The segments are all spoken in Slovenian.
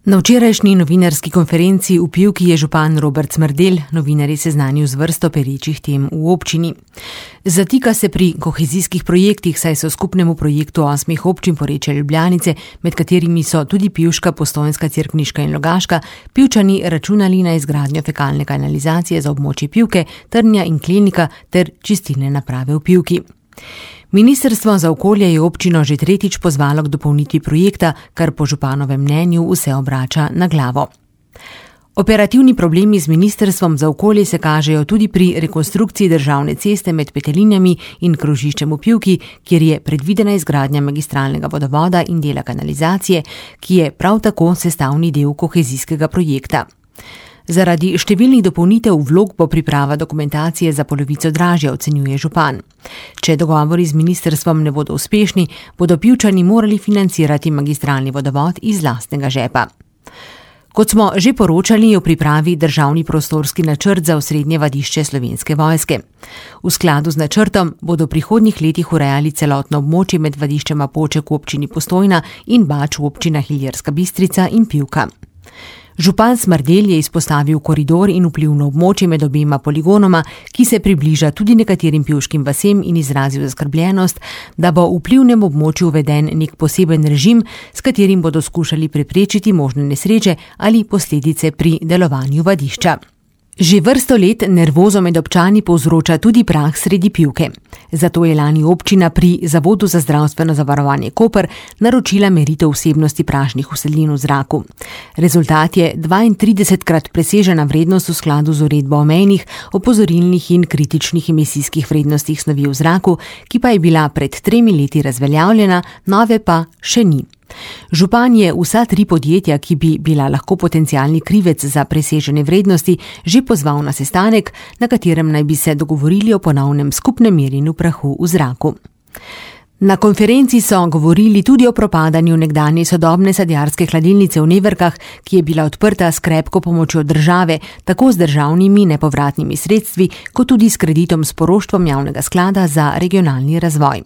Na včerajšnji novinarski konferenci v Pivki je župan Robert Smrdelj novinarji seznanil z vrsto perečih tem v občini. Zatika se pri kohezijskih projektih, saj so skupnemu projektu 8 občin Porečje Ljubljanice, med katerimi so tudi Pivška, Postojnska, Cerkniška in Logaška, Pivčani računali na izgradnjo fekalne kanalizacije za območje Pivke, Trnja in Klenika ter čistilne naprave v Pivki. Ministrstvo za okolje je občino že tretjič pozvalo k dopolnitvi projekta, kar po županovem mnenju vse obrača na glavo. Operativni problemi z ministrstvom za okolje se kažejo tudi pri rekonstrukciji državne ceste med Petelinjami in krožiščem v Pivki, kjer je predvidena izgradnja magistralnega vodovoda in dela kanalizacije, ki je prav tako sestavni del kohezijskega projekta. Zaradi številnih dopolnitev vlog bo priprava dokumentacije za polovico dražja, ocenjuje župan. Če dogovori z ministrstvom ne bodo uspešni, bodo Pivčani morali financirati magistralni vodovod iz lastnega žepa. Kot smo že poročali, je v pripravi državni prostorski načrt za osrednje vadišče Slovenske vojske. V skladu z načrtom bodo v prihodnjih letih urejali celotno območje med vadiščema Poček v občini Postojna in Bač v občinah Ilirska Bistrica in Pivka. Župan Smrdelj je izpostavil koridor in vplivno območje med obema poligonoma, ki se približa tudi nekaterim pivškim vasem, in izrazil zaskrbljenost, da bo v vplivnem območju uveden nek poseben režim, s katerim bodo skušali preprečiti možne nesreče ali posledice pri delovanju vadišča. Že vrsto let nervozo med občani povzroča tudi prah sredi Pivke. Zato je lani občina pri Zavodu za zdravstveno zavarovanje Koper naročila meritev vsebnosti prašnih usedlin v zraku. Rezultat je 32-krat presežena vrednost v skladu z uredbo o mejnih, opozorilnih in kritičnih emisijskih vrednostih snovi v zraku, ki pa je bila pred 3 leti razveljavljena, nove pa še ni. Župan je vsa 3 podjetja, ki bi bila lahko potencialni krivec za presežene vrednosti, že pozval na sestanek, na katerem naj bi se dogovorili o ponovnem skupnem merjenju prahu v zraku. Na konferenci so govorili tudi o propadanju nekdanje sodobne sadjarske hladilnice v Neverkah, ki je bila odprta s krepko pomočjo države, tako z državnimi nepovratnimi sredstvi, kot tudi s kreditom s poroštvom javnega sklada za regionalni razvoj.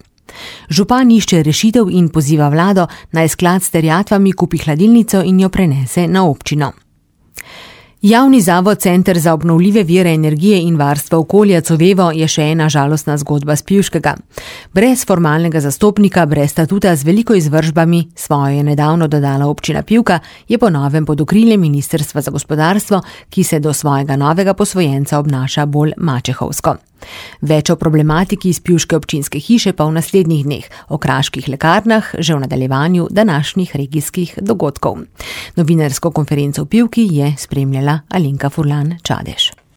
Župan išče rešitev in poziva vlado, naj sklad s terjatvami kupi hladilnico in jo prenese na občino. Javni zavod Center za obnovljive vire energije in varstvo okolja Covevo je še ena žalostna zgodba s Pivškega. Brez formalnega zastopnika, brez statuta, z veliko izvršbami, svojo je nedavno dodala občina Pivka, je po novem pod okriljem Ministrstva za gospodarstvo, ki se do svojega novega posvojenca obnaša bolj mačehovsko. Več o problematiki iz Pivške občinske hiše pa v naslednjih dneh, o kraških lekarnah že v nadaljevanju današnjih regijskih dogodkov. Novinarsko konferenco v Pivki je spremljala Alenka Furlan Čadež.